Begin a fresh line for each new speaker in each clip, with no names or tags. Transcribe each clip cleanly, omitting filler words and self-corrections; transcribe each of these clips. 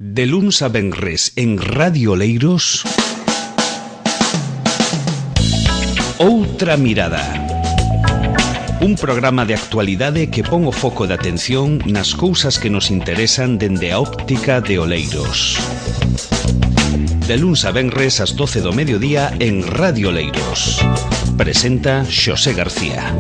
De luns a venres en Radio Oleiros, Outra Mirada. Un programa de actualidade que pon o foco de atención nas cousas que nos interesan dende a óptica de Oleiros. De luns a venres ás 12 do mediodía en Radio Oleiros. Presenta Xosé García.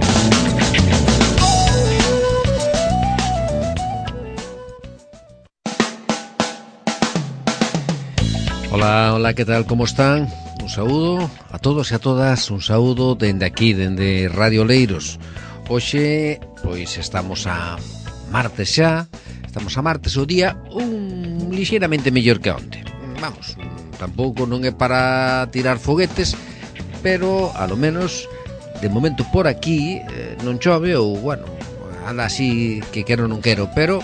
Hola, ¿qué tal? ¿Cómo están? Un saúdo a todos e a todas, un saúdo dende aquí, dende Radio Oleiros. Hoxe, pois estamos a martes xa, o día lixeiramente mellor que onte. Vamos, tampouco non é para tirar foguetes, pero, a lo menos, de momento por aquí, non chove ou, bueno, anda así que quero non quero, pero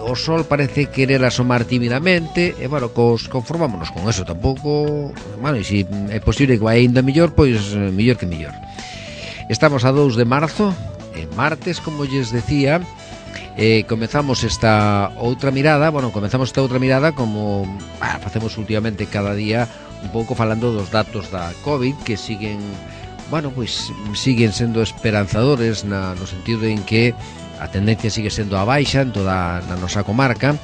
o sol parece querer asomar tímidamente e, bueno, conformámonos con eso. Tampouco, bueno, e se é posible que vai ainda mellor, pois mellor que mellor. Estamos a 2 de marzo, martes, como lles decía. Comezamos esta outra mirada, como facemos últimamente cada día, un pouco falando dos datos da COVID que siguen, bueno, pois siguen sendo esperanzadores no sentido en que a tendencia sigue sendo a baixa en toda a nosa comarca,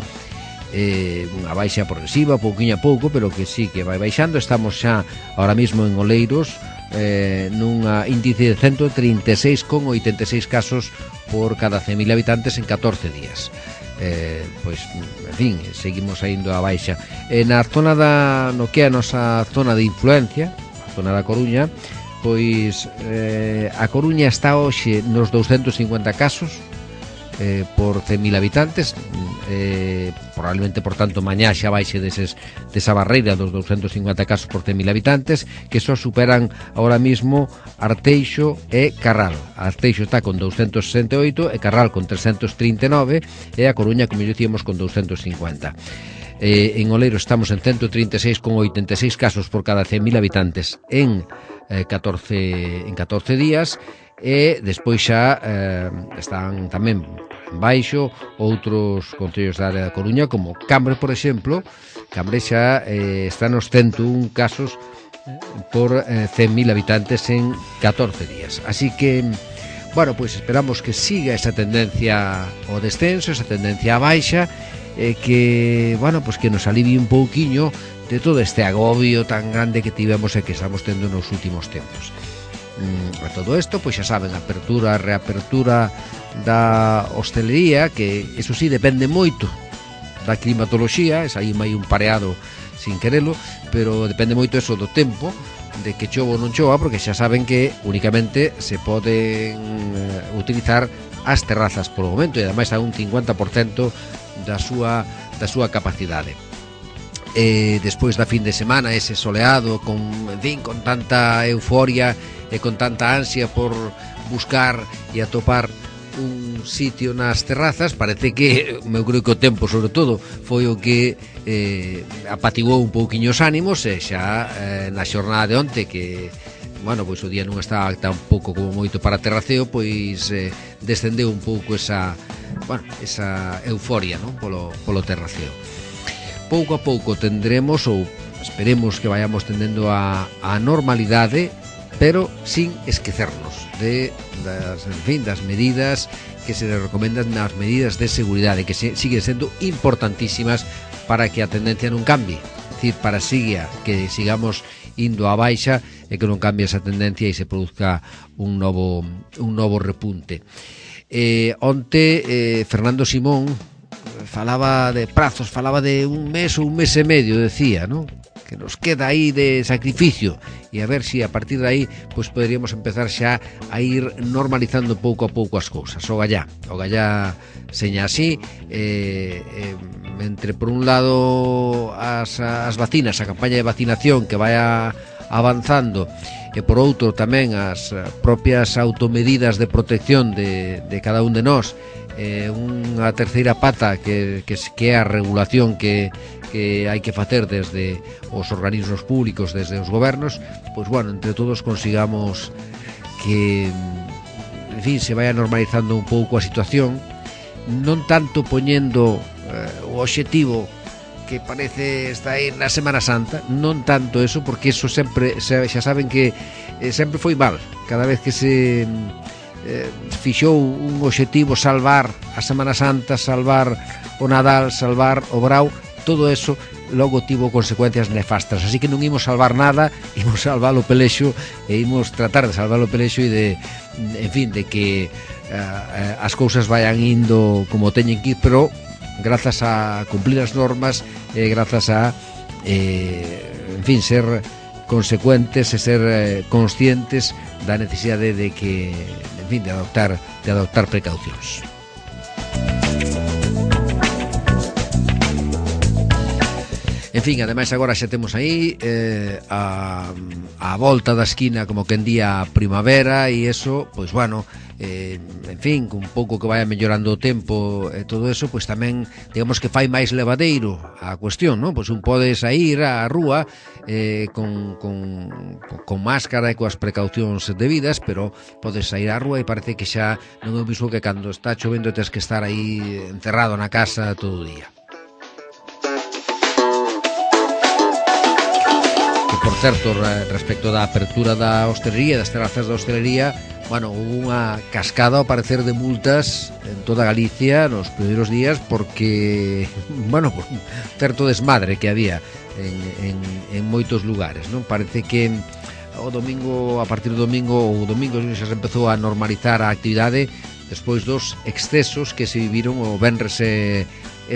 unha baixa progresiva, pouquiño a pouco, pero que sí que vai baixando. Estamos xa ahora mismo en Oleiros nunha índice de 136,86 casos por cada 100.000 habitantes en 14 días. Pois, en fin, seguimos indo a baixa. Na zona no que é a nosa zona de influencia, a zona da Coruña, pois a Coruña está hoxe nos 250 casos por 100.000 habitantes, probablemente, por tanto, mañá xa baixe desa barreira dos 250 casos por 100.000 habitantes, que só superan ahora mismo Arteixo e Carral. Arteixo está con 268 e Carral con 339 e a Coruña, como dicíamos, con 250. En Oleiro estamos en 136,86 casos por cada 100.000 habitantes en 14 días. E despois xa están tamén en baixo outros concellos da área da Coruña, como Cambre, por exemplo. Cambre xa está nos 101 casos por 100.000 habitantes en 14 días. Así que, bueno, pois esperamos que siga esa tendencia ao descenso, esa tendencia á baixa, que, bueno, pois que nos alivie un pouquiño de todo este agobio tan grande que tivemos e que estamos tendo nos últimos tempos. A todo isto, pois xa saben, apertura, reapertura da hostelería, que eso sí depende moito da climatoloxía, es aí mai un pareado sin querelo, pero depende moito eso do tempo, de que chova ou non chova, porque xa saben que únicamente se poden utilizar as terrazas polo momento, e ademais a un 50% da súa capacidade. Despois da fin de semana, ese soleado con tanta euforia e con tanta ansia por buscar e atopar un sitio nas terrazas, parece que eu creo que o tempo, sobre todo, foi o que apatiguou un pouquiño os ánimos, e xa na xornada de onte, que, bueno, pois o día non estaba tampouco como moito para terraceo, pois descendeu un pouco esa euforia, non? Polo terraceo. Pouco a pouco tendremos, ou esperemos que vayamos tendendo a normalidade, pero sin esquecernos das medidas que se recomendan, nas medidas de seguridade, que siguen sendo importantísimas para que a tendencia non cambie, é dicir, para que sigamos indo a baixa e que non cambie esa tendencia e se produzca un novo repunte. Onte Fernando Simón falaba de prazos, falaba de un mes ou un mes e medio, decía, non? Que nos queda aí de sacrificio, e a ver se a partir de aí pois poderíamos empezar xa a ir normalizando pouco a pouco as cousas. O gallá seña así, entre por un lado as vacinas, a campaña de vacinación que vai avanzando, e por outro tamén as propias automedidas de protección de cada un de nós, unha terceira pata que é a regulación que hai que facer desde os organismos públicos, desde os gobernos, pois, bueno, entre todos consigamos que, en fin, se vaya normalizando un pouco a situación, non tanto poñendo o obxectivo que parece estar aí na Semana Santa. Non tanto eso, porque eso sempre, xa saben que sempre foi mal. Cada vez que se fixou un obxectivo salvar a Semana Santa, salvar o Nadal, salvar o Brao, todo eso logo tivo consecuencias nefastas, así que non imos salvar nada, imos salvar o pelexo e imos tratar de salvar o pelexo e de, en fin, de que as cousas vayan indo como teñen que ir, pero grazas a cumplir as normas e grazas a en fin, ser consecuentes e ser conscientes da necesidade de que, en fin, de adoptar precaucións. En fin, ademais agora xa temos aí a volta da esquina, como que en día primavera, e eso, pois bueno, en fin, un pouco que vaya mellorando o tempo e todo eso, pois tamén, digamos que fai máis levadeiro a cuestión, non? Pois un pode sair á rúa con máscara e coas precaucións debidas, pero podes sair á rúa e parece que xa non é o mismo que cando está chovendo tes que estar aí encerrado na casa todo o día. Por certo, respecto da apertura da hostelería, das terrazas da hostelería, bueno, hubo unha cascada ao parecer de multas en toda Galicia nos primeiros días porque, bueno, por un certo desmadre que había en moitos lugares, non? Parece que o domingo, a partir do domingo xa se empezou a normalizar a actividade despois dos excesos que se viviron o venres e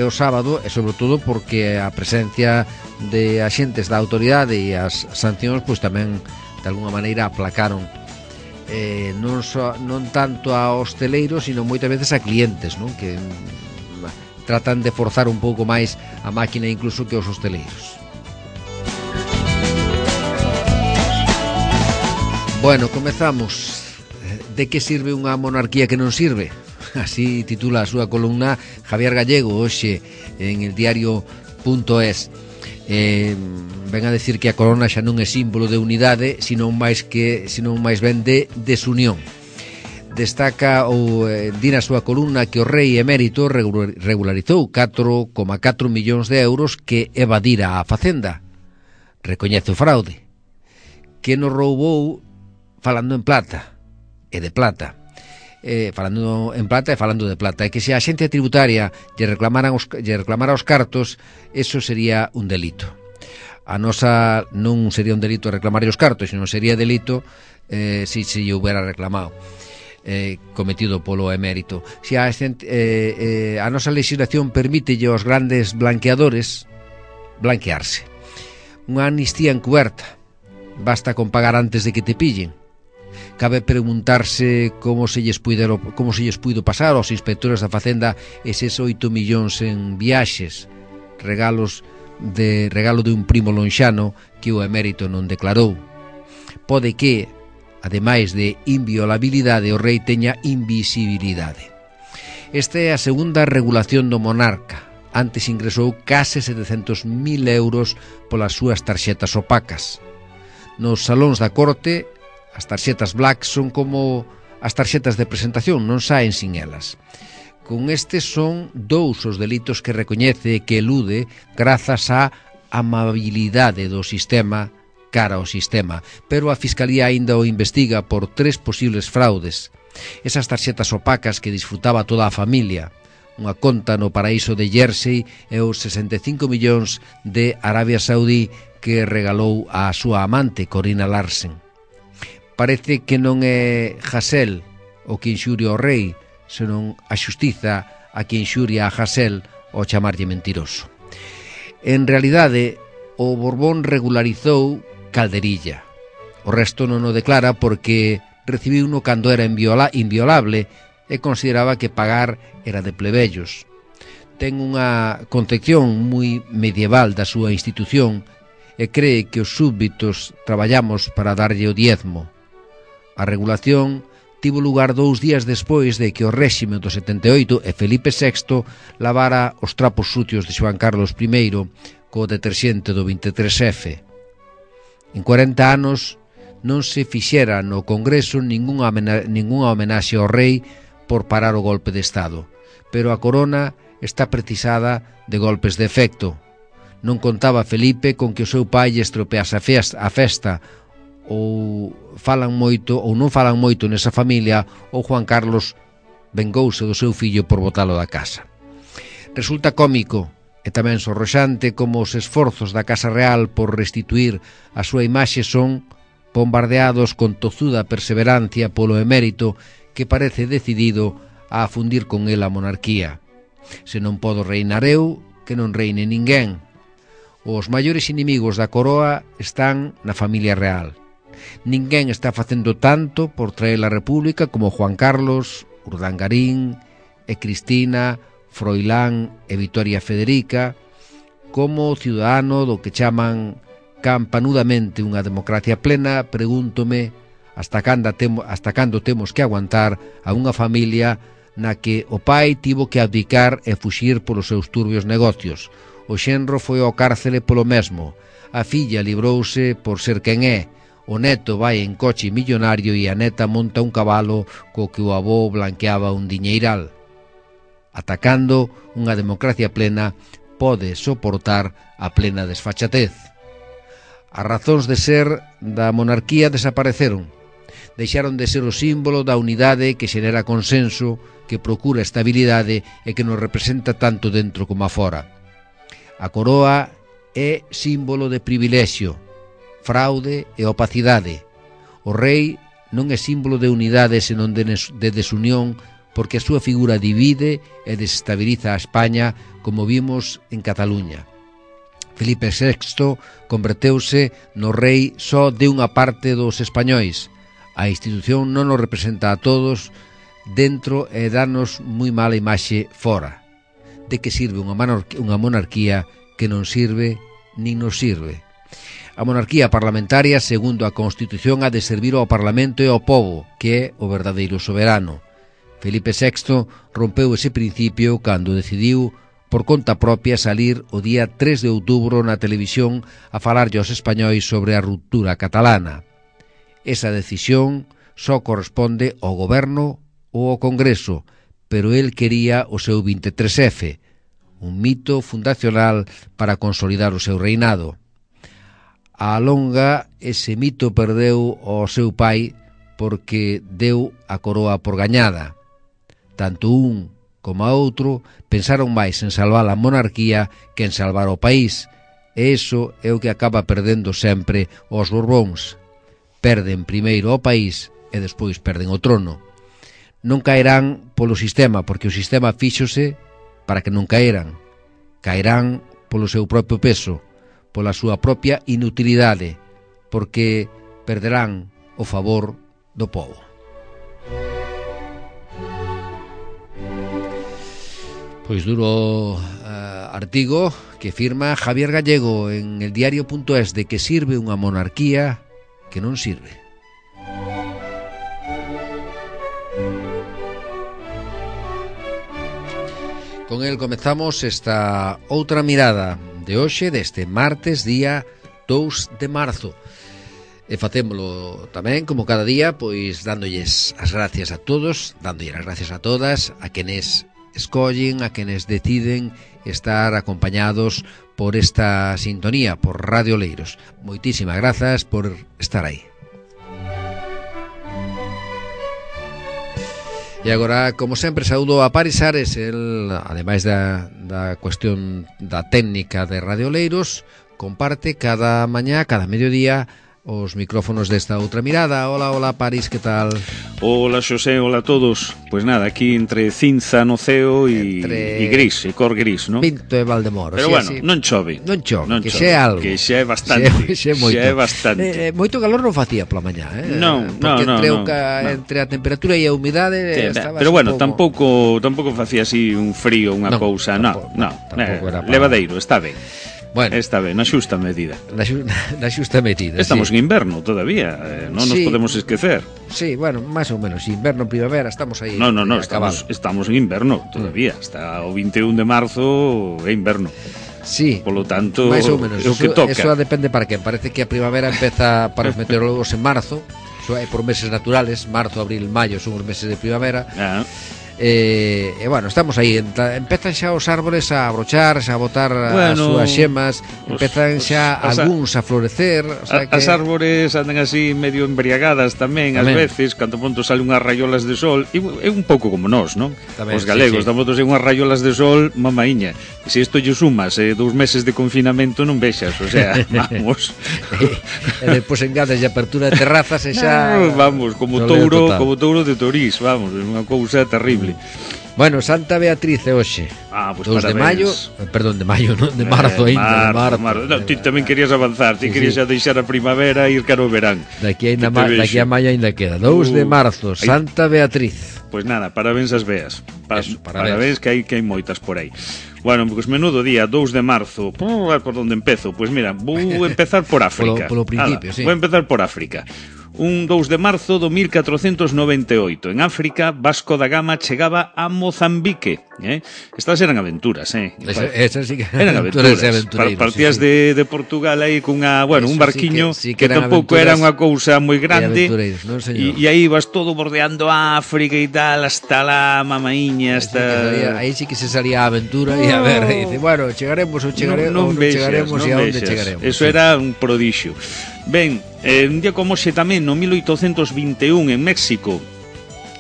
o sábado, e sobre todo porque a presencia de axentes da autoridade e as sancións pois tamén de alguna maneira aplacaron non tanto a hosteleiros, sino moitas veces a clientes, non? Que tratan de forzar un pouco máis a máquina incluso que os hosteleiros. Bueno, comezamos. De que sirve unha monarquía que non sirve? Así titula a súa columna Javier Gallego hoxe en el diario.es. Ven a decir que a corona xa non é símbolo de unidade, senón máis ben de desunión. Destaca di na súa columna que o rei emérito regularizou 4,4 millóns de euros que evadira a Facenda. Recoñece o fraude, que nos roubou falando en plata e de plata. Falando en plata e falando de plata, e que se a xencia tributaria lle reclamara os cartos, eso sería un delito. A nosa non sería un delito reclamar os cartos, sino sería delito se lle houbera reclamado, cometido polo emérito. Se a nosa legislación permítelle aos grandes blanqueadores blanquearse. Unha amnistía encuberta, basta con pagar antes de que te pillen. Cabe preguntarse como se lles puido pasar aos inspectores da Facenda eses 8 millóns en viaxes, regalo de un primo lonxano que o emérito non declarou. Pode que, ademais de inviolabilidade, o rei teña invisibilidade. Esta é a segunda regulación do monarca. Antes ingresou case 700.000 euros polas súas tarxetas opacas. Nos salóns da corte, as tarxetas black son como as tarxetas de presentación, non saen sin elas. Con estes son 2 os delitos que recoñece e que elude grazas á amabilidade do sistema cara ao sistema, pero a Fiscalía aínda o investiga por 3 posibles fraudes. Esas tarxetas opacas que disfrutaba toda a familia, unha conta no paraíso de Jersey e os 65 millóns de Arabia Saudí que regalou á súa amante, Corina Larsen. Parece que non é Hasél o que inxuria ao rei, senón a xustiza a que inxuria a Hasél ao chamarlle mentiroso. En realidade, o Borbón regularizou Calderilla. O resto non o declara porque recibiu uno cando era inviolable e consideraba que pagar era de plebellos. Ten unha concepción moi medieval da súa institución e cree que os súbditos traballamos para darlle o diezmo. A regulación tivo lugar 2 días despois de que o réxime do 78 e Felipe VI lavara os trapos sucios de Xoán Carlos I co deterxente do 23F. En 40 anos non se fixera no Congreso ningunha homenaxe ao rei por parar o golpe de Estado, pero a corona está precisada de golpes de efecto. Non contaba Felipe con que o seu pai lle estropease a festa, ou non falan moito nesa familia, ou Juan Carlos vengouse do seu fillo por botalo da casa. Resulta cómico e tamén sorroxante como os esforzos da Casa Real por restituir a súa imaxe son bombardeados con tozuda perseverancia polo emérito que parece decidido a afundir con el a monarquía. Se non podo reinar eu, que non reine ninguén. Os maiores inimigos da coroa están na familia real. Ninguén está facendo tanto por traer a república como Juan Carlos, Urdangarín e Cristina, Froilán e Vitoria Federica, como ciudadano do que chaman campanudamente unha democracia plena. Pregúntome hasta cando temos que aguantar a unha familia na que o pai tivo que abdicar e fuxir polos seus turbios negocios. O xenro foi ao cárcele polo mesmo. A filla librouse por ser quen é. O neto vai en coche millonario e a neta monta un cabalo co que o avó blanqueaba un diñeiral. Atacando unha democracia plena pode soportar a plena desfachatez. As razóns de ser da monarquía desapareceron. Deixaron de ser o símbolo da unidade que xenera consenso, que procura estabilidade e que nos representa tanto dentro como afora. A coroa é símbolo de privilexio, fraude e opacidade. O rei non é símbolo de unidade senón de desunión, porque a súa figura divide e desestabiliza a España, como vimos en Cataluña. Felipe VI converteuse no rei só de unha parte dos españois. A institución non nos representa a todos dentro e danos moi mala imaxe fora. De que sirve unha monarquía que non sirve nin nos sirve? A monarquía parlamentaria, segundo a Constitución, ha de servir ao Parlamento e ao povo, que é o verdadeiro soberano. Felipe VI rompeu ese principio cando decidiu por conta propia salir o día 3 de outubro na televisión a falarlle aos españois sobre a ruptura catalana. Esa decisión só corresponde ao goberno ou ao Congreso, pero el quería o seu 23F, un mito fundacional para consolidar o seu reinado. A longa, ese mito perdeu o seu pai porque deu a coroa por gañada. Tanto un como a outro pensaron máis en salvar a monarquía que en salvar o país, e iso é o que acaba perdendo sempre os Borbóns. Perden primeiro o país e despois perden o trono. Non caerán polo sistema, porque o sistema fíxose para que non caeran. Caerán polo seu propio peso, pola súa propia inutilidade, porque perderán o favor do povo. Pois duro artigo que firma Javier Gallego en el diario.es de que sirve unha monarquía que non sirve. Con el comezamos esta outra mirada de hoxe, deste martes, día 2 de marzo. E facémolo tamén, como cada día, pois dándolles as gracias a todos, dándolles as gracias a todas, a quenes escollen, a quenes deciden estar acompañados por esta sintonía, por Radio Oleiros. Moitísimas grazas por estar aí. E agora, como sempre, saúdo a Paris Ares, el, ademais da cuestión da técnica de Radio Oleiros, comparte cada mañá, cada mediodía, os micrófonos desta outra mirada. Hola, hola, Paris, que tal?
Hola, Xosé, hola a todos. Pois nada, aquí entre cinza no ceo e gris, e cor gris, non?
Pinto e Valdemoro.
Pero bueno, non chove.
Non chove, que xe é algo.
Que xe é bastante.
Xe é
bastante.
Moito calor non facía pola mañá,
porque
entre a temperatura e a humidade estaba.
Pero bueno, tampouco facía así un frío, unha cousa, non. Levadeiro, está ben. Bueno, está ben, na xusta medida.
Na xusta medida.
Estamos en inverno todavía, non nos podemos esquecer.
Sí, bueno, máis ou menos, inverno, primavera, estamos aí.
No, estamos en inverno todavía, hasta o 21 de marzo é inverno.
Sí.
Polo tanto,
máis ou menos,
o que toca.
Eso depende para quen. Parece que a primavera empeza para os meteorólogos en marzo, eso é por meses naturales, marzo, abril, maio son os meses de primavera. bueno, estamos aí, empezan xa os árboles a abrochar, a botar as súas xemas, empezan xa algúns a florecer, o sea que...
As árbores andan así medio embriagadas tamén, ás veces, cando pronto sale unhas rayolas de sol, é un pouco como nós, non? Os galegos, damos unhas rayolas de sol, mamaíña, e se isto lle sumas 2 meses de confinamento non vexas, o sea, vamos.
E depois engades de apertura de terrazas e xa...
Vamos, como touro de Torís, vamos, é unha cousa terrible.
Bueno, Santa Beatriz é hoxe.
Pues
2 de maio, perdón, de maio, non, de marzo ainda, de marzo.
No, ti tamén querías avanzar, ti querías xa deixar a primavera e ir caro o verán.
Daqui a maio ainda queda. 2 de marzo, Santa Beatriz.
Pois nada, parabéns as veas. Parabéns que hai moitas por aí. Bueno, pues menudo día, 2 de marzo. Por onde empezo? Pois mira, vou empezar por África.
Polo principio, sí.
Vou empezar por África. Un 2 de marzo do 1498, en África, Vasco da Gama chegaba a Mozambique. Estas eran aventuras,
Esas sí que
eran aventuras. Partías de Portugal aí cunha, un barquiño que tampouco era unha cousa moi grande, e aí ibas todo bordeando África e tal, hasta la mamaíña, hasta...
Aí sí que se salía a aventura e a ver, e dice, bueno, chegaremos ou non chegaremos e a onde chegaremos.
Eso era un prodixio. Ben, un día como hoxe tamén, no 1821, en México,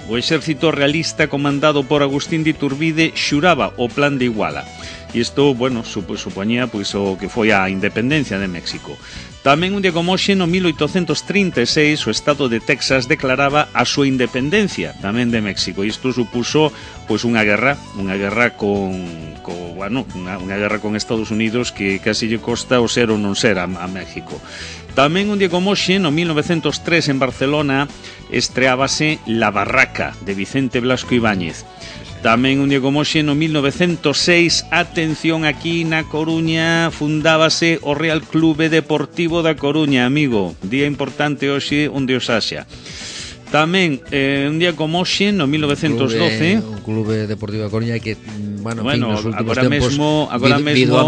o exército realista comandado por Agustín de Iturbide xuraba o Plan de Iguala. E isto, supoñía o que foi a independencia de México. Tamén un día como hoxe, no 1836, o estado de Texas declaraba a súa independencia tamén de México. E isto supuso unha guerra con Estados Unidos que casi lle costa o ser ou non ser a México. Tamén un día como hoxe, no 1903, en Barcelona, estreábase La Barraca, de Vicente Blasco Ibáñez. Tamén un día como hoxe, no 1906, atención, aquí na Coruña, fundábase o Real Clube Deportivo da Coruña, amigo. Día importante hoxe onde os haxa. Tamén, un día como hoxe, no 1912...
Un clube deportivo da Coruña que, nos últimos
agora
tempos
mesmo
a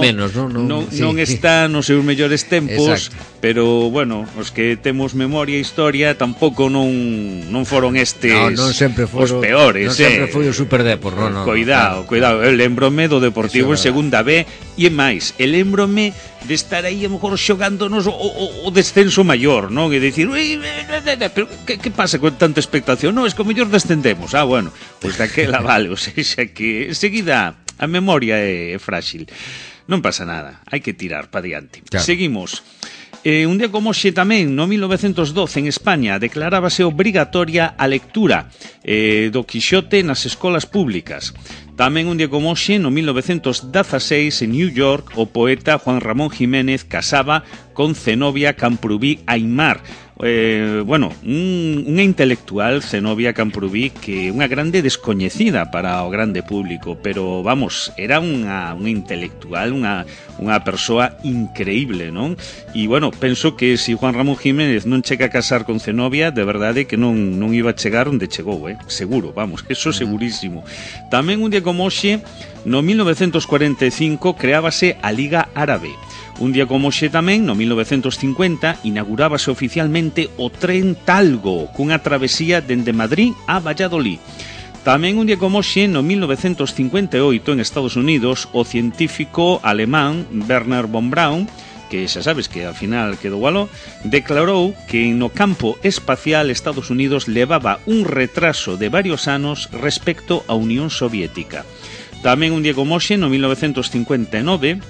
menos,
non está nos seus mellores tempos. Exacto. Pero, os que temos memoria e historia tampouco non foron estes
non sempre
os peores.
Non sempre foi o Superdepor, non.
Cuidado. Eu lembrome do Deportivo en segunda B e máis, lembrome de estar aí a mellor xogándonos o descenso maior, non? E dicir, pero que pasa con tanta expectación? Non, es que o mellor descendemos. Pois daquela vale, ou seja que enseguida a memoria é frágil. Non pasa nada, hai que tirar para diante. Claro. Seguimos. Un día como hoxe tamén, no 1912, en España, declarábase obrigatoria a lectura do Quixote nas escolas públicas. Tamén un día como hoxe, no 1916, en New York, o poeta Juan Ramón Jiménez casaba con Zenobia Camprubí Aymar. Unha intelectual, Zenobia Camprubí, que unha grande descoñecida para o grande público, pero era unha intelectual, unha persoa increíble, non? E penso que se Juan Ramón Jiménez non chega a casar con Zenobia, de verdade que non iba a chegar onde chegou, seguro, eso segurísimo. Tamén un día como hoxe, no 1945, creábase a Liga Árabe. Un día como hoxe tamén, no 1950, inaugurábase oficialmente o tren Talgo, cunha travesía dende Madrid a Valladolid. Tamén un día como hoxe, no 1958, en Estados Unidos, o científico alemán Wernher von Braun, que xa sabes que ao final quedou aló, declarou que no campo espacial Estados Unidos levaba un retraso de varios anos respecto á Unión Soviética. Tamén un día como hoxe, no 1959,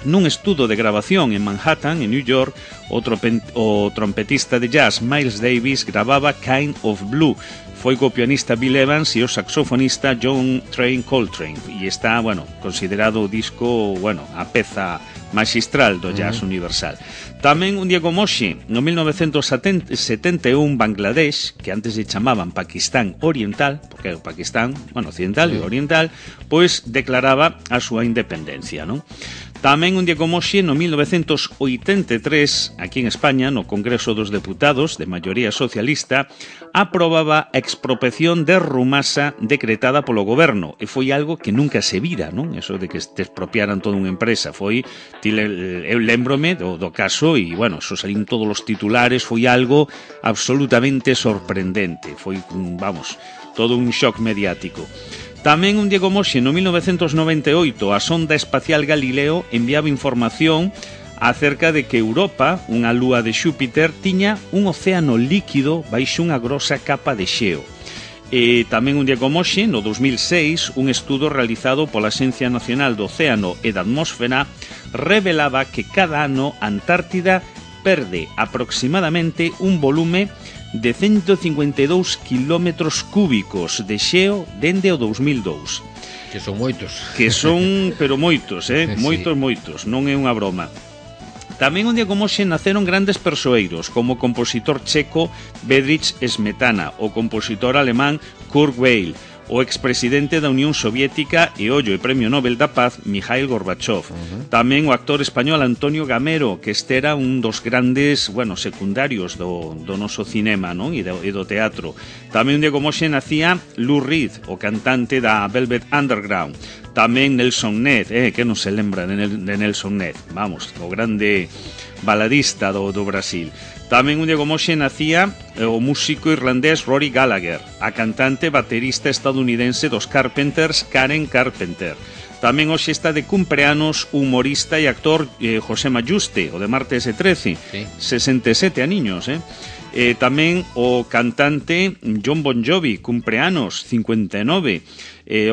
nun estudo de grabación en Manhattan, en New York, o trompetista de jazz Miles Davis gravaba Kind of Blue. Foi co pianista Bill Evans e o saxofonista John Coltrane. E está, considerado o disco, a peza magistral do jazz universal. Tamén un día como hoxe, no 1971, Bangladesh, que antes se chamaban Pakistán Oriental, porque o Pakistán, occidental e oriental, pois declaraba a súa independencia, non? Tamén un día como hoxe, no 1983, aquí en España, no Congreso dos Deputados, de maioría socialista, aprobaba a expropiación de Rumasa decretada polo goberno. E foi algo que nunca se vira, non? Eso de que te expropiaran toda unha empresa. Eu lembrome do caso e, eso salín todos os titulares, foi algo absolutamente sorprendente. Foi, todo un shock mediático. Tamén un día como hoxe, no 1998, a sonda espacial Galileo enviaba información acerca de que Europa, unha lúa de Xúpiter, tiña un océano líquido baixo unha grosa capa de xeo. E tamén un día como hoxe, no 2006, un estudo realizado pola Axencia Nacional do Océano e da Atmósfera revelaba que cada ano a Antártida perde aproximadamente un volume de 152 kilómetros cúbicos de xeo dende o 2002.
Que son moitos.
Que son, pero moitos, moitos, non é unha broma. Tamén un día como hoxe naceron grandes persoeiros, como o compositor checo Bedřich Smetana, o compositor alemán Kurt Weill, o expresidente da Unión Soviética e ollo e Premio Nobel da Paz Mikhail Gorbachev. Tamén o actor español Antonio Gamero, que este era un dos grandes, secundarios do noso cinema, non? E do teatro. Tamén un día como hoxe nacía Lou Reed, o cantante da Velvet Underground. Tamén Nelson Ned, que non se lembra de Nelson Ned, vamos, o grande baladista do Brasil. Tamén un día como hoxe nacía o músico irlandés Rory Gallagher, a cantante baterista estadounidense dos Carpenters Karen Carpenter. Tamén hoxe está de cumpleanos o humorista e actor José Mayuste, o de Martes e 13, sí. 67 aniños, tamén o cantante John Bon Jovi, cumpleanos 59,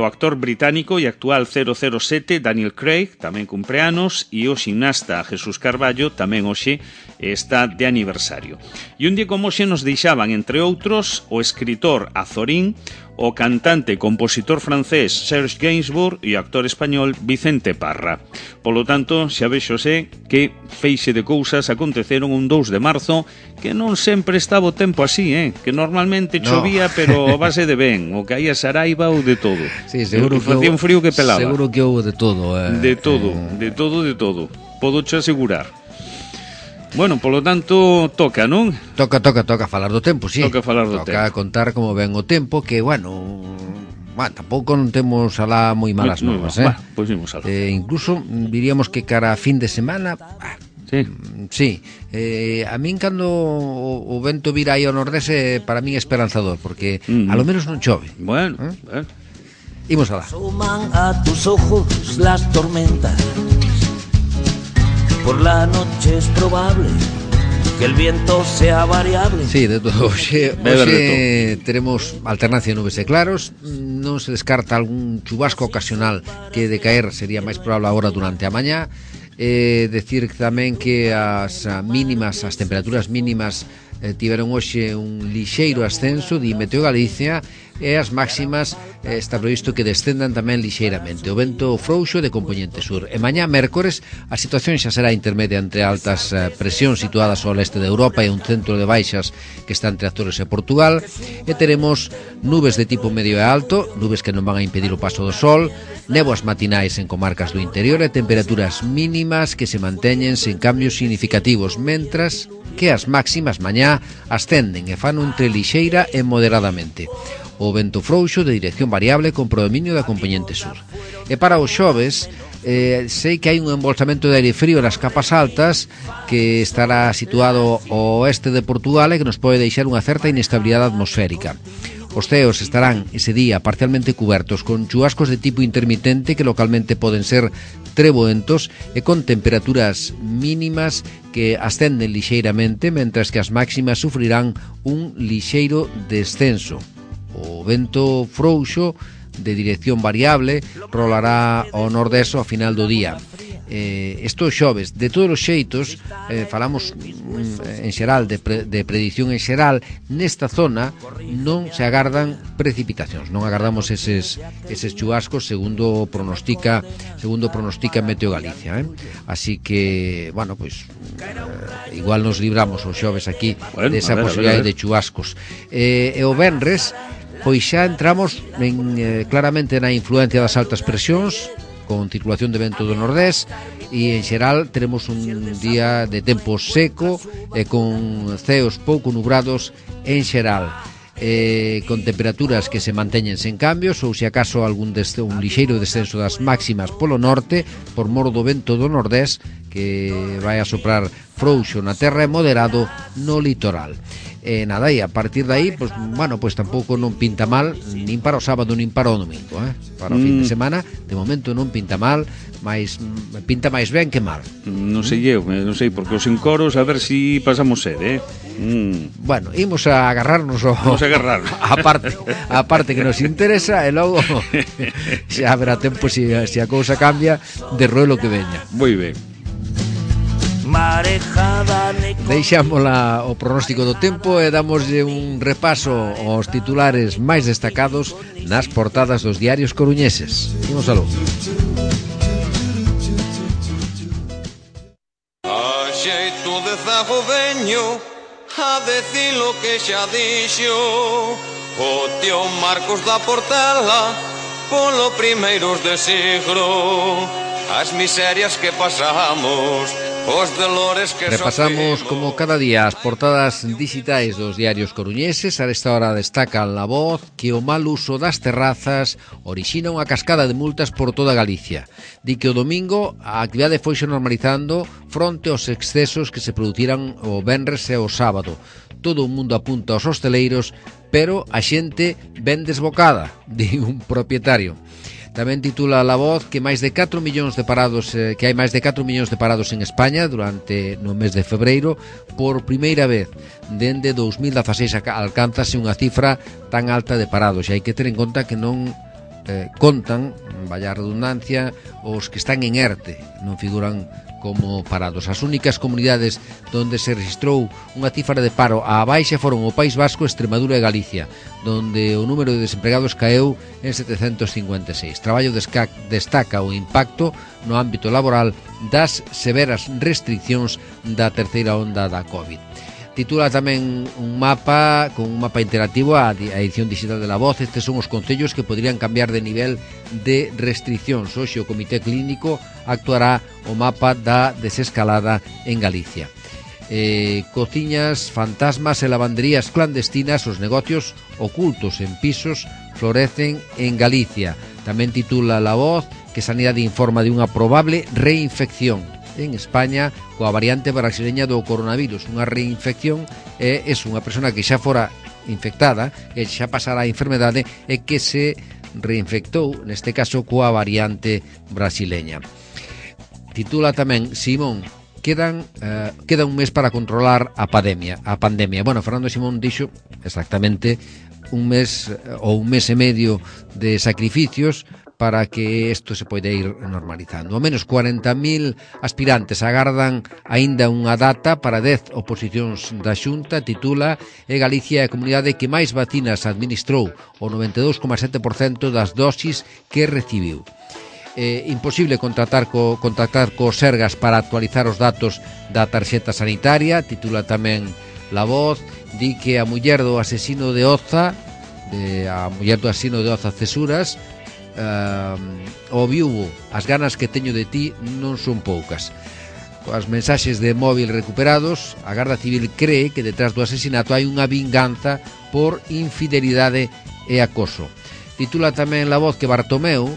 o actor británico e actual 007 Daniel Craig, tamén cumpleanos, e o ximnasta Jesús Carballo tamén hoxe está de aniversario. E un día como hoxe nos deixaban, entre outros, o escritor Azorín, o cantante e compositor francés Serge Gainsbourg e o actor español Vicente Parra. Polo tanto, xa vexose que feixe de cousas aconteceron un 2 de marzo que non sempre estaba o tempo así, que normalmente chovía, pero a base de ben, o caía saraiva ou de todo.
Sí, seguro que
facía un frío que pelaba.
Seguro que houve de todo.
De todo. Podo che asegurar. Bueno, polo tanto, toca, non?
Toca falar do tempo, sí.
Toca falar do tempo.
Toca contar como ven o tempo, que, tampouco non temos alá moi malas novas,
Pois imos alá.
Incluso diríamos que cara a fin de semana... Sí. A min cando o vento vira aí ao nordés, para min é esperanzador, porque a lo menos non chove.
Bueno.
Imos alá.
Asoman a tus ojos las tormentas. Por la noche es probable que el viento sea variable.
Sí, de todo. Hoxe teremos alternancia de nubes e claros. Non se descarta algún chubasco ocasional que de caer sería máis probable agora durante a mañá. Decir tamén que as temperaturas mínimas tiveron hoxe un lixeiro ascenso de Meteo Galicia, e as máximas está previsto que descendan tamén lixeiramente. O vento frouxo de compoñente sur. E mañá, mércores, a situación xa será intermedia entre altas presións situadas ao leste de Europa e un centro de baixas que está entre Azores e Portugal, e teremos nubes de tipo medio e alto, nubes que non van a impedir o paso do sol, néboas matinais en comarcas do interior e temperaturas mínimas que se manteñen sen cambios significativos, mentras que as máximas mañá ascenden e fan entre lixeira e moderadamente. O vento frouxo de dirección variable con predominio da compoñente sur. E para os xoves, sei que hai un embolsamento de aire frío nas capas altas que estará situado ao oeste de Portugal e que nos pode deixar unha certa inestabilidade atmosférica. Os ceos estarán ese día parcialmente cubertos con chubascos de tipo intermitente que localmente poden ser treboentos e con temperaturas mínimas que ascenden lixeiramente, mentras que as máximas sufrirán un lixeiro descenso. O vento frouxo de dirección variable rolará ao nordés ao final do día. Estos xoves, de todos os xeitos, falamos en xeral de predición en xeral, nesta zona non se agardan precipitacións, non agardamos eses chubascos segundo pronostica Meteo Galicia, Así que, igual nos libramos os xoves aquí desa posibilidade de chubascos. E o venres, pois xa entramos claramente na influencia das altas presións, con circulación de vento do nordés, e en xeral teremos un día de tempo seco e con ceos pouco nubrados en xeral, con temperaturas que se manteñen sen cambios, ou se acaso un lixeiro descenso das máximas polo norte por mor do vento do nordés que vai a soprar frouxo na terra e moderado no litoral. Nada, e a partir de aí, pues, bueno, pues tampouco non pinta mal nin para o sábado nin para o domingo, para o fin de semana, de momento non pinta mal, mas pinta máis ben que mal.
Non sei eu, non sei, porque os encoros a ver si pasamos sede,
Bueno, imos a agarrarnos a parte que nos interesa e logo xa haberá tempo se a cousa cambia de roelo que veña.
Moi ben.
Deixamos o pronóstico do tempo e damoslle un repaso aos titulares máis destacados nas portadas dos diarios coruñeses. Imos aló.
A xeito de zago veño a decir lo que xa dixo o tío Marcos da Portela polo primeiros de siglo, as miserias que pasamos, os dolores que
repasamos como cada día as portadas digitais dos diarios coruñeses. A esta hora destaca La Voz que o mal uso das terrazas orixina unha cascada de multas por toda Galicia. Di que o domingo a actividade foise normalizando fronte aos excesos que se produciran o venres e o sábado. Todo o mundo apunta aos hosteleiros, pero a xente ben desbocada, di un propietario. Tamén titula La Voz que máis de 4 millóns de parados, que hai máis de 4 millóns de parados en España durante no mes de febreiro. Por primeira vez dende 2016 alcánzase unha cifra tan alta de parados, e hai que ter en conta que non contan, vaya redundancia, os que están en ERTE, non figuran como parados. As únicas comunidades donde se registrou unha cifra de paro á baixa foron o País Vasco, Extremadura e Galicia, donde o número de desempregados caeu en 756. Traballo destaca o impacto no ámbito laboral das severas restriccións da terceira onda da COVID. Titula tamén un mapa con un mapa interactivo a edición digital de La Voz. Estes son os concellos que poderían cambiar de nivel de restriccións. Hoxe o Comité Clínico actuará o mapa da desescalada en Galicia. Cociñas, fantasmas e lavanderías clandestinas, os negocios ocultos en pisos florecen en Galicia. Tamén titula La Voz que Sanidade informa de unha probable reinfección en España coa variante brasileña do coronavirus. Unha reinfección é unha persona que xa fora infectada e xa pasara a enfermedade e que se reinfectou, neste caso coa variante brasileña. Titula tamén Simón, queda un mes para controlar a pandemia. Bueno, Fernando Simón dixo exactamente un mes ou un mes e medio de sacrificios para que isto se poida ir normalizando. Ao menos 40.000 aspirantes agardan aínda unha data para 10 oposicións da Xunta. Titula e Galicia é a comunidade que máis vacinas administrou, o 92,7% das dosis que recibiu. Imposible contactar co Sergas para actualizar os datos da tarxeta sanitaria. Titula tamén La Voz, di que a muller do asesino de Oza Cesuras, o viúvo, as ganas que teño de ti non son poucas. Coas mensaxes de móvil recuperados, a Garda Civil cree que detrás do asesinato hai unha vinganza por infidelidade e acoso. Titula tamén La Voz que Bartomeu,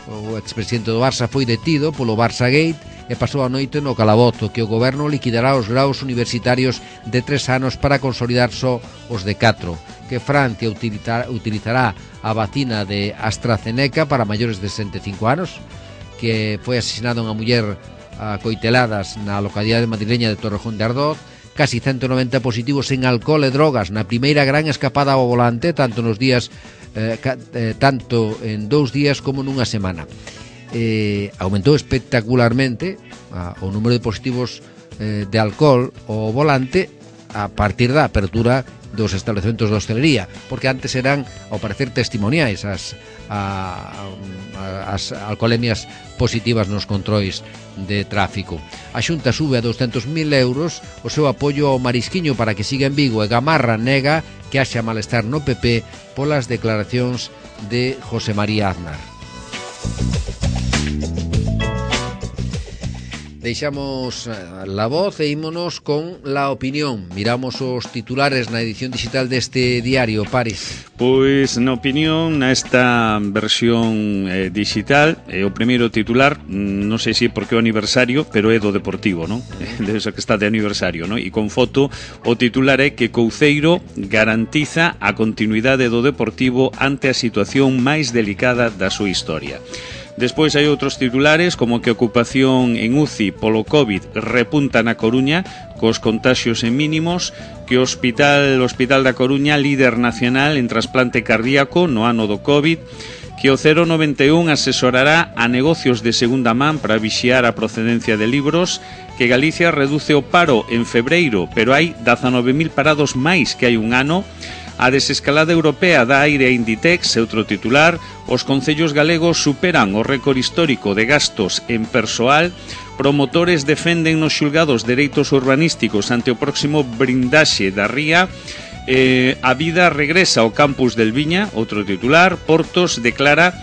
o expresidente do Barça, foi detido polo Barça Gate e pasou a noite no calabozo, que o goberno liquidará os graus universitarios de 3 anos para consolidar só os de 4, que Francia utilizará a vacina de AstraZeneca para maiores de 65 anos, que foi asesinada unha muller a coiteladas na localidade madrileña de Torrejón de Ardoz, casi 190 positivos en alcohol e drogas na primeira gran escapada ao volante, tanto en 2 días como nunha semana. Aumentou espectacularmente o número de positivos de alcohol ao volante a partir da apertura dos establecementos de hostelería, porque antes eran, ao parecer, testimoniais as alcoholemias positivas nos controis de tráfico. A Xunta sube a 200.000 euros o seu apoio ao Marisquiño para que siga en Vigo, e Gamarra nega que haxa malestar no PP polas declaracións de José María Aznar. Deixamos la voz e ímonos con la opinión. Miramos os titulares na edición digital deste diario, Paris.
Pois na opinión, nesta versión digital, o primeiro titular, non sei se porque é o aniversario, pero é do Deportivo, non? Debe ser que está de aniversario, non? E con foto, o titular é que Couceiro garantiza a continuidade do Deportivo ante a situación máis delicada da súa historia. Despois hai outros titulares como que a ocupación en UCI polo COVID repunta na Coruña cos contaxios en mínimos, que o Hospital da Coruña líder nacional en trasplante cardíaco no ano do COVID, que o 091 asesorará a negocios de segunda man para vixiar a procedencia de libros, que Galicia reduce o paro en febreiro, pero hai 19.000 parados máis que hai un ano. A desescalada europea dá aire a Inditex, outro titular. Os concellos galegos superan o récord histórico de gastos en persoal. Promotores defenden nos xulgados dereitos urbanísticos ante o próximo blindaxe da ría. A vida regresa ao campus del Viña, outro titular. Portos declara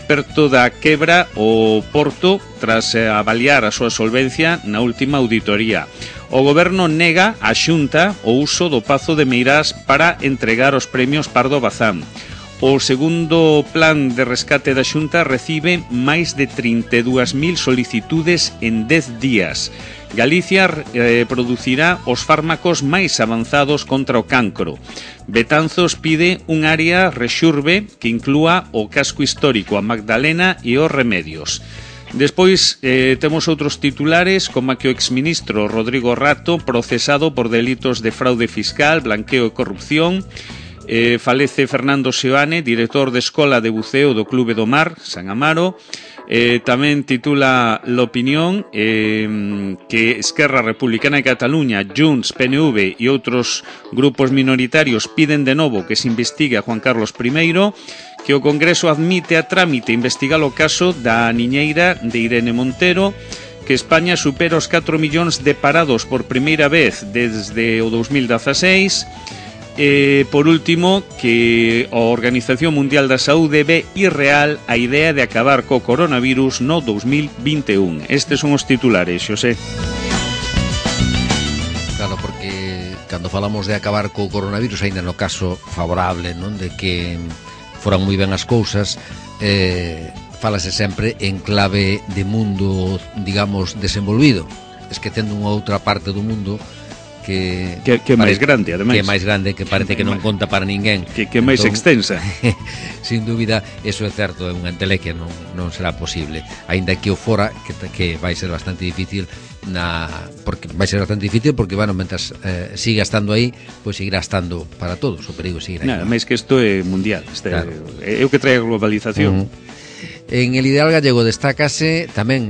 perto da quebra o Porto tras avaliar a súa solvencia na última auditoría. O Goberno nega a Xunta o uso do Pazo de Meirás para entregar os premios Pardo Bazán. O segundo plan de rescate da Xunta recibe máis de 32.000 solicitudes en 10 días. Galicia producirá os fármacos máis avanzados contra o cancro. Betanzos pide un área rexurbe que inclúa o casco histórico, a Magdalena e os Remedios. Despois temos outros titulares como que o exministro Rodrigo Rato procesado por delitos de fraude fiscal, blanqueo e corrupción. Falece Fernando Seoane, director de Escola de Buceo do Clube do Mar, San Amaro. Tamén titula l'opinión que Esquerra Republicana de Cataluña, Junts, PNV e outros grupos minoritarios piden de novo que se investigue a Juan Carlos I, que o Congreso admite a trámite investigar o caso da niñeira de Irene Montero, que España supera os 4 millóns de parados por primeira vez desde o 2016. Por último, que a Organización Mundial da Saúde ve irreal a idea de acabar co coronavirus no 2021. Estes son os titulares, Xosé.
Claro, porque cando falamos de acabar co coronavirus, aínda no caso favorable, non, de que foran moi ben as cousas, falase sempre en clave de mundo, digamos, desenvolvido, esquecendo unha outra parte do mundo que
é máis grande, ademais.
Que é máis grande, que parece que non conta para ninguén.
Que é máis extensa.
Sin dúbida, eso é certo, é unha entelequia, non será posible. Aínda que o fora, que vai ser bastante difícil, porque bueno, mentras siga estando aí, pois seguirá estando para todos, o perigo seguirá aí.
Nada, máis que isto é mundial, claro. É o que trae a globalización.
En el Ideal Gallego destácase tamén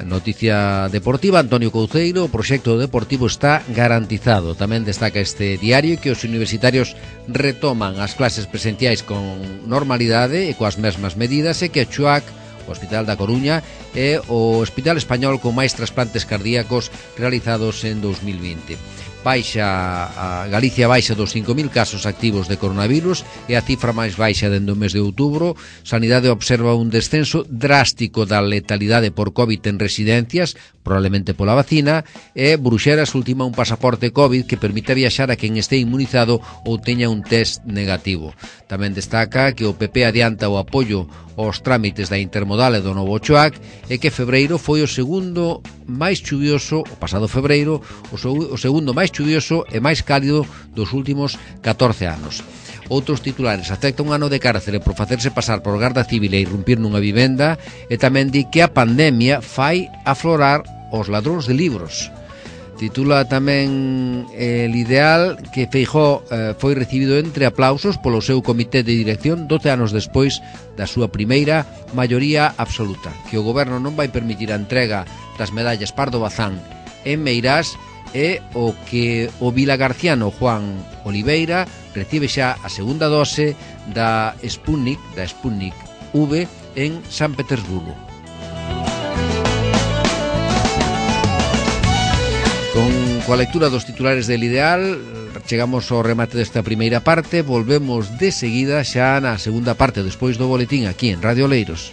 noticia deportiva. Antonio Couceiro, o proxecto deportivo está garantizado. Tamén destaca este diario que os universitarios retoman as clases presenciais con normalidade e coas mesmas medidas, e que a CHUAC, o Hospital da Coruña, é o hospital español con máis trasplantes cardíacos realizados en 2020. Galicia baixa dos 5.000 casos activos de coronavirus, é a cifra máis baixa dende o mes de outubro. Sanidade observa un descenso drástico da letalidade por COVID en residencias, probablemente pola vacina, e Bruxelas ultima un pasaporte COVID que permite viaxar a quen este inmunizado ou teña un test negativo. Tamén destaca que o PP adianta o apoio aos trámites da intermodal e do novo CHUAC, e que febreiro foi o segundo máis chuvioso, o pasado febreiro, o segundo máis chuvioso e máis cálido dos últimos 14 anos. Outros titulares: acepta un ano de cárcere por facerse pasar por garda civil e irrumpir nunha vivenda, e tamén di que a pandemia fai aflorar os ladróns de libros. Titula tamén El Ideal que Feijóo foi recibido entre aplausos polo seu comité de dirección 12 anos despois da súa primeira maioría absoluta, que o goberno non vai permitir a entrega das medallas Pardo Bazán en Meirás, e o que o vilagarciano Juan Oliveira recibe xa a segunda dose da Sputnik V en San Petersburgo. Coa lectura dos titulares del Ideal chegamos ao remate desta primeira parte. Volvemos de seguida xa na segunda parte, despois do boletín, aquí en Radio Oleiros.